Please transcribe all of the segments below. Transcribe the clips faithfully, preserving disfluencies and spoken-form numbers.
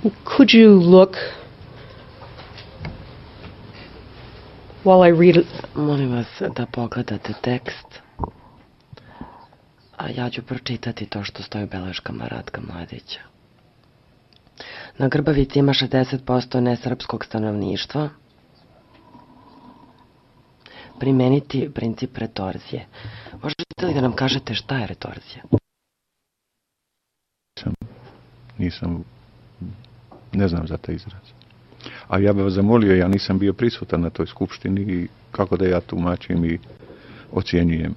Could you look while I read it? Molim vas da pogledate tekst, a ja ću pročitati to što stoji u beleškama Ratka Mladića. Na Grbavici ima šezdeset posto nesrpskog stanovništva. Primeniti princip retorzije. Možete li da nam kažete šta je retorzija? Nisam, nisam, ne znam za taj izraz. A ja bih vas zamolio, ja nisam bio prisutan na toj skupštini i kako da ja tumačim i ocjenjujem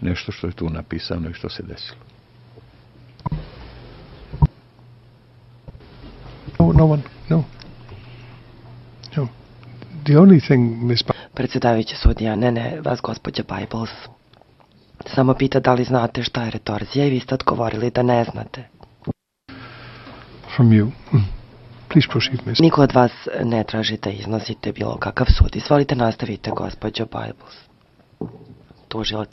nešto što je tu napisano i što se desilo. No, no one, no. No. The only thing, Miss Ba- Predsjedavajući sudija, ne, ne, vas gospođa Bibles samo pita da li znate šta je retorzija i vi ste odgovorili da ne znate. From you. Please proceed, Miss. Niko od vas ne traži da iznosite bilo kakav sud. Izvolite, nastavite, gospođo Bibles. Tužilac.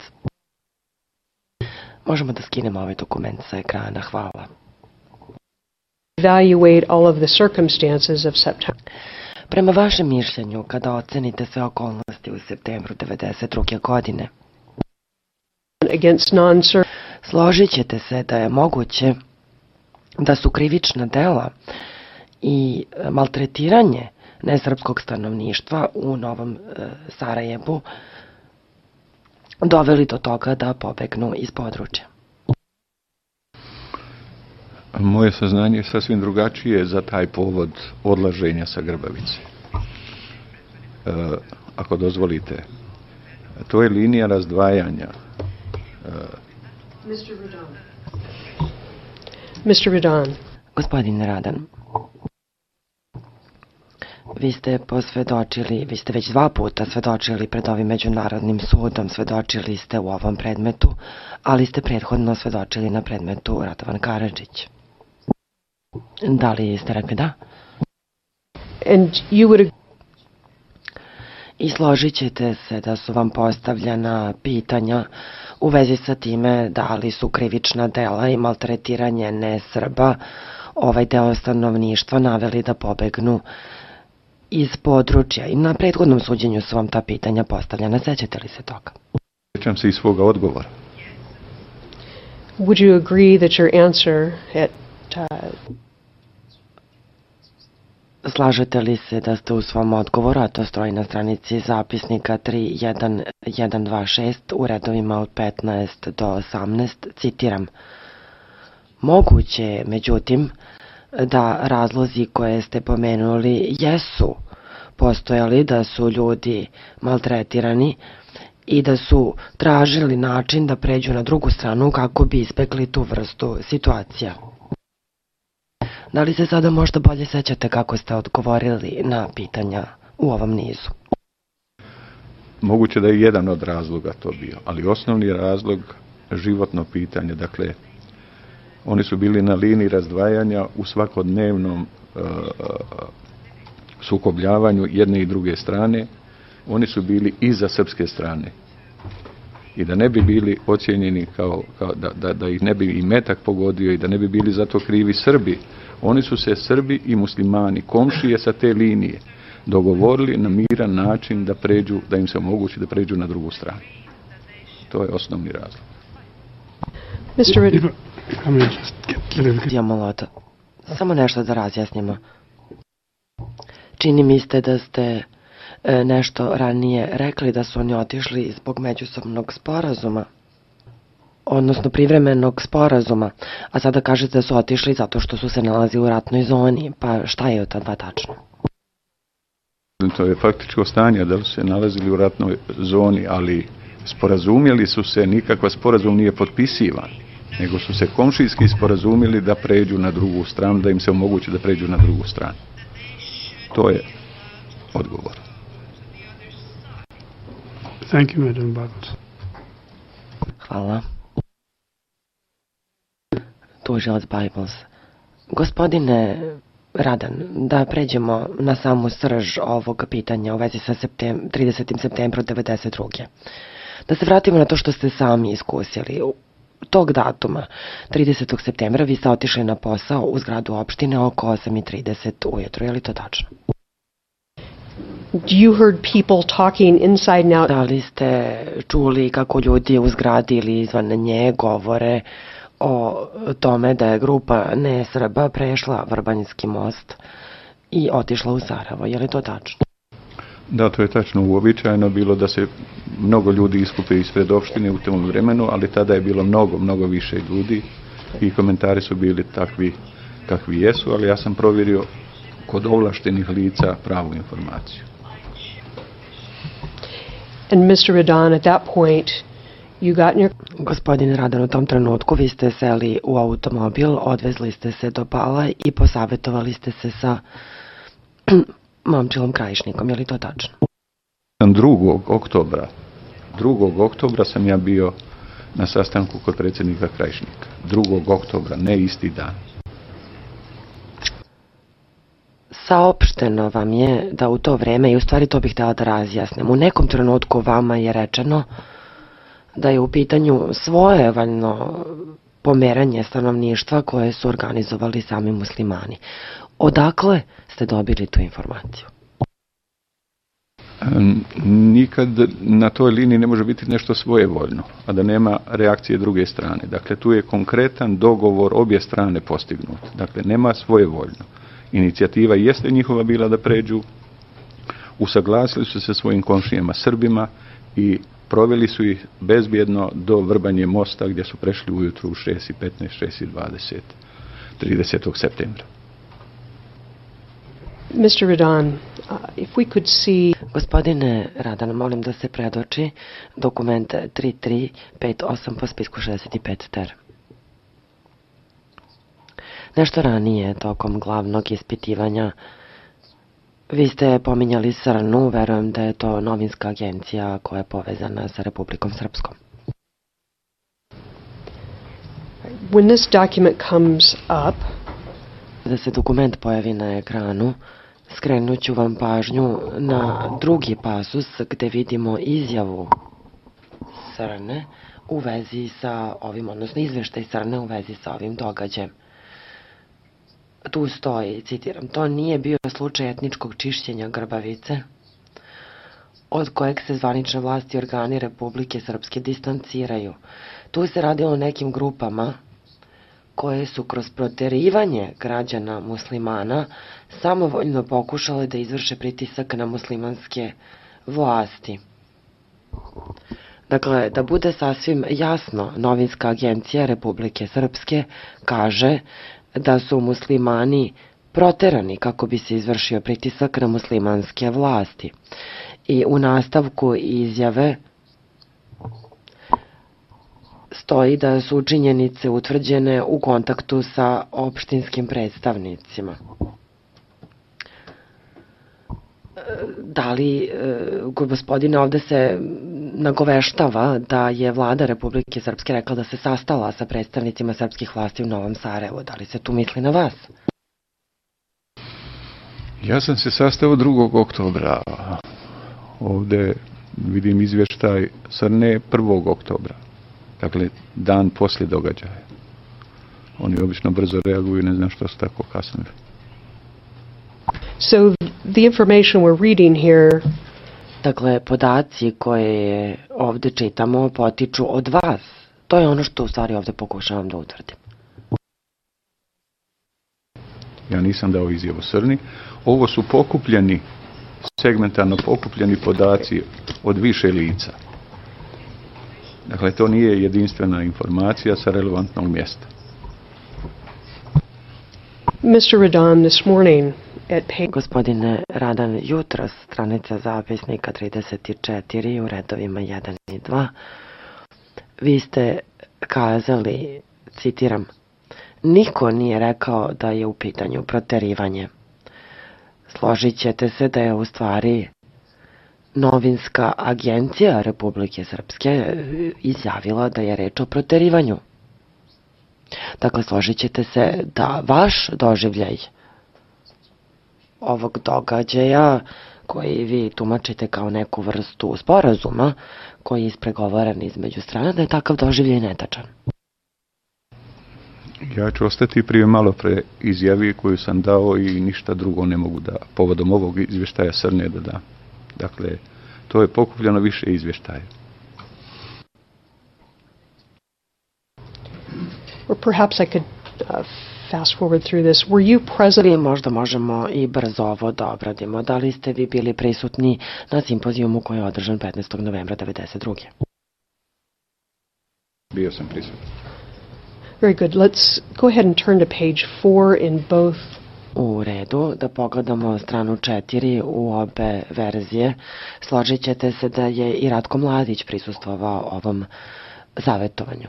Možemo da skinemo ovaj dokument sa ekrana, hvala. Evaluate all of the circumstances of September. Prema vašem mišljenju, kada ocenite sve okolnosti u septembru devedeset druge godine, Against non-ser- složit ćete se da je moguće da su krivična dela i maltretiranje nesrpskog stanovništva u Novom e, Sarajevu doveli do toga da pobegnu iz područja. Moje saznanje je sasvim drugačije za taj povod odlaženja sa Grbavice. E, ako dozvolite, to je linija razdvajanja. E, mister Radan. mister Radan. Gospodine Radan, vi ste posvedočili, vi ste već dva puta svedočili pred ovim međunarodnim sudom, svedočili ste u ovom predmetu, ali ste prethodno svedočili na predmetu Radovan Karadžić. Da li ste rekli da? And you would I složit ćete se da su vam postavljena pitanja u vezi sa time da li su krivična dela i maltretiranje nesrba ovaj deo stanovništva naveli da pobegnu iz područja. I na prethodnom suđenju su vam ta pitanja postavljena. Sećate li se toga? Sjećam se i svoga odgovora. would you agree that your answer at uh, Slažete li se da ste u svom odgovoru, a to stoji na stranici zapisnika tri jedan jedan dva šest u redovima od petnaest do osamnaest, citiram: moguće je, međutim, da razlozi koje ste pomenuli jesu postojali, da su ljudi maltretirani i da su tražili način da pređu na drugu stranu kako bi izbegli tu vrstu situacija. Da li se sada možda bolje sećate kako ste odgovorili na pitanja u ovom nizu? Moguće da je jedan od razloga to bio, ali osnovni razlog životno pitanje, dakle, oni su bili na liniji razdvajanja u svakodnevnom uh, sukobljavanju jedne i druge strane. Oni su bili iza srpske strane. I da ne bi bili ocijenjeni kao, kao da, da, da ih ne bi i metak pogodio i da ne bi bili zato krivi Srbi, oni su se Srbi i muslimani, komšije sa te linije, dogovorili na miran način da pređu, da im se omogući da pređu na drugu stranu. To je osnovni razlog. mister Rid- Ja molota. Samo nešto da razjasnimo. Čini mi ste da ste e, nešto ranije rekli da su oni otišli zbog međusobnog sporazuma, odnosno privremenog sporazuma, a sada kažete da su otišli zato što su se nalazili u ratnoj zoni. Pa šta je od ta dva tačno? To je faktičko stanje da su se nalazili u ratnoj zoni, ali sporazumjeli su se, nikakva sporazum nije potpisivan, nego su se komšijski sporazumjeli da pređu na drugu stranu, da im se omogući da pređu na drugu stranu. To je odgovor. Thank you, Madam Bibles. Hvala. Tužilac Bibles. Gospodine Radan, da pređemo na samu srž ovog pitanja u vezi sa septem, tridesetim septembrom devedeset druge. Da se vratimo na to što ste sami iskusili. tog datuma, tridesetog septembra, vi ste otišli na posao u zgradu opštine oko osam i trideset ujutro. Je li to tačno? You heard people talking inside and out. Da li ste čuli kako ljudi u zgradi ili izvan nje govore o tome da je grupa nesrba prešla Vrbanjski most i otišla u Sarajevo? Je li to tačno? Da, to je tačno. Uobičajeno bilo da se mnogo ljudi iskupe ispred opštine u tom vremenu, ali tada je bilo mnogo, mnogo više ljudi i komentari su bili takvi kakvi jesu, ali ja sam provjerio kod ovlaštenih lica pravu informaciju. And mister Radan, at that point, you got in your... Gospodine Radan, u tom trenutku vi ste seli u automobil, odvezli ste se do Pala i posavjetovali ste se sa Momčilom Krajišnikom. Je li to tačno? drugog oktobra drugog oktobra sam ja bio na sastanku kod predsjednika Krajišnika. drugog oktobra, ne isti dan. Saopšteno vam je da u to vreme, i u stvari to bih htjela da razjasnim, u nekom trenutku vama je rečeno da je u pitanju svojevoljno pomeranje stanovništva koje su organizovali sami muslimani. Odakle ste dobili tu informaciju? Nikad na toj liniji ne može biti nešto svojevoljno, a da nema reakcije druge strane. Dakle, tu je konkretan dogovor obje strane postignut. Dakle, nema svojevoljno. Inicijativa jeste njihova bila da pređu, usaglasili su se svojim komšijama Srbima i proveli su ih bezbjedno do Vrbanje mosta gdje su prešli ujutru u šest i petnaest, šest i dvadeset, tridesetog septembra. mister Radan, uh, if we could see... Gospodine Radan, molim da se predoči dokument tri tri pet osam po spisku šezdeset pet ter. Nešto ranije, tokom glavnog ispitivanja, vi ste pominjali Srnu, verujem da je to novinska agencija koja je povezana sa Republikom Srpskom. When this document comes up, Da se dokument pojavi na ekranu, skrenut ću vam pažnju na drugi pasus gde vidimo izjavu Srne u vezi sa ovim, odnosno izveštaj Srne u vezi sa ovim događajem. Tu stoji, citiram, to nije bio slučaj etničkog čišćenja Grbavice, od kojeg se zvanične vlasti i organi Republike Srpske distanciraju. Tu se radilo o nekim grupama koje su kroz proterivanje građana muslimana samovoljno pokušale da izvrše pritisak na muslimanske vlasti. Dakle, da bude sasvim jasno, novinska agencija Republike Srpske kaže da su muslimani proterani kako bi se izvršio pritisak na muslimanske vlasti. I u nastavku izjave stoji da su činjenice utvrđene u kontaktu sa opštinskim predstavnicima. Da li, gospodine, ovde se nagoveštava da je vlada Republike Srpske rekla da se sastala sa predstavnicima srpskih vlasti u Novom Sarajevu. Da li se tu misli na vas? Ja sam se sastao drugog oktobra. Ovde vidim izvještaj Srne prvog oktobra. Dakle, dan poslije događaja. Oni obično brzo reaguju, ne znam što su tako kasnili. so the information we're reading here, Dakle, podaci koje ovde čitamo potiču od vas. To je ono što u stvari ovde pokušavam da utvrdim. Ja nisam dao izjavu Srni. Ovo su pokupljeni, segmentarno pokupljeni podaci od više lica. Dakle, to nije jedinstvena informacija sa relevantnog mjesta. mister Radan, this morning at page... Gospodine Radan, jutros, stranica zapisnika trideset četiri u redovima jedan i dva, vi ste kazali, citiram, niko nije rekao da je u pitanju proterivanje. Složit ćete se da je u stvari novinska agencija Republike Srpske izjavila da je reč o proterivanju. Dakle, složit ćete se da vaš doživljaj ovog događaja, koji vi tumačite kao neku vrstu sporazuma, koji je ispregovaran između strana, da je takav doživljaj netačan. Ja ću ostati prije malo pre izjavi koju sam dao i ništa drugo ne mogu da povodom ovog izvještaja Srne da dam. Dakle, to je pokupljeno više izvještaja. Or perhaps I could uh, fast forward through this. Were you present? Ili možda možemo i brzo ovo da obradimo. Da li ste vi bili prisutni na simpozijumu koji je održan petnaestog novembra devedeset druge. Bio sam prisutan. Very good. Let's go ahead and turn to page four in both. U redu, da pogledamo stranu četiri u obe verzije. Složit ćete se da je i Ratko Mladić prisustvovao ovom savjetovanju.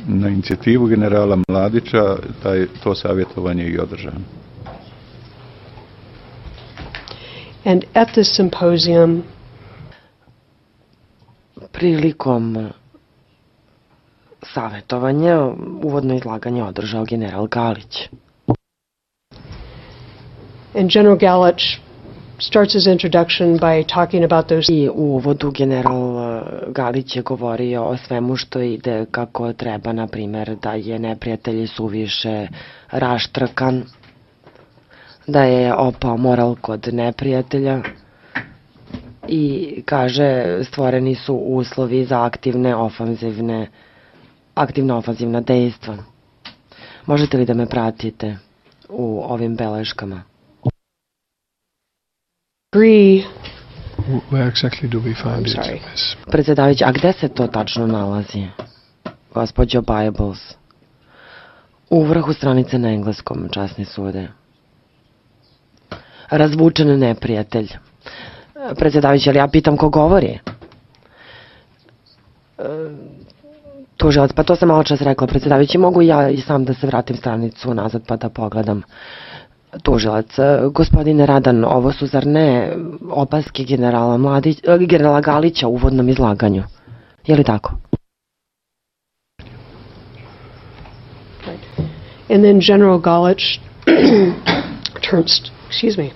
Na inicijativu generala Mladića taj, to savjetovanje je i održano. And at this symposium, prilikom savjetovanja uvodno izlaganje održao general Galić. and General Galich starts his introduction by talking about those. I u uvodu general Galić je govorio o svemu što ide kako treba, na primjer da je neprijatelj suviše raštrkan, da je opao moral kod neprijatelja i kaže stvoreni su uslovi za aktivne ofanzivne aktivna ofanzivna dejstva. Možete li da me pratite u ovim beleškama? Agree. Where exactly do we find I'm it? sorry. Miss? Predsjedavajući, a gde se to tačno nalazi, gospođo Bibles? U vrhu stranice na engleskom, časni sude. Razvučen neprijatelj. Predsjedavajući, ali ja pitam ko govori? Tužilac, pa to sam malo čas rekla, predsjedavajući, mogu ja i sam da se vratim stranicu nazad pa da pogledam. Tužilac, gospodine Radan, ovo su zar ne opaske generala, Mladić, generala Galića u uvodnom izlaganju? Je li tako? And then General Galich turns, excuse me,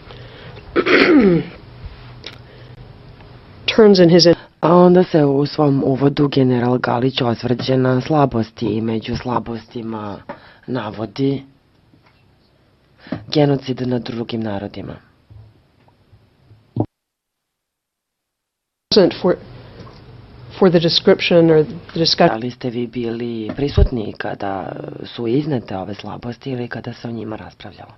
turns in his. A onda se u svom uvodu general Galić osvrće na slabosti i među slabostima navodi genocid nad drugim narodima. For, for the description or the discussion. Da li ste vi bili prisutni kada su iznete ove slabosti ili kada se o njima raspravljalo?